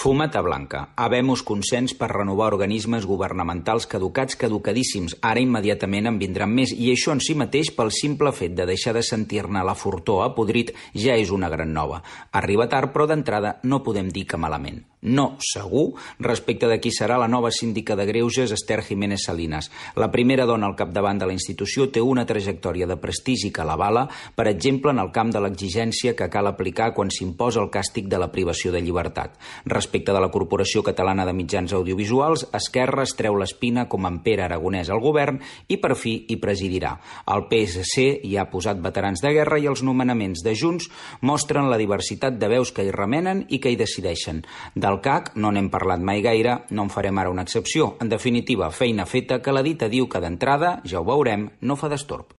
Fumata blanca. Habemus consens per renovar organismes governamentals caducats, caducadíssims. Ara immediatament en vindran més, i això en si mateix, pel simple fet de deixar de sentir-ne la fortor apodrit, ja és una gran nova. Arriba tard, però d'entrada no podem dir que malament. No, segur, respecte de qui serà la nova síndica de Greuges, Esther Jiménez Salinas. La primera dona al capdavant de la institució té una trajectòria de prestigi que l'avala, per exemple, en el camp de l'exigència que cal aplicar quan s'imposa el càstig de la privació de llibertat. Respecte de la Corporació Catalana de Mitjans Audiovisuals, Esquerra es treu l'espina com en Pere Aragonès al govern i per fi hi presidirà. El PSC hi ha posat veterans de guerra i els nomenaments de Junts mostren la diversitat de veus que hi remenen i que hi decideixen. Del CAC no n'hem parlat mai gaire, no en farem ara una excepció. En definitiva, feina feta que la dita diu que d'entrada, ja ho veurem, no fa destorb.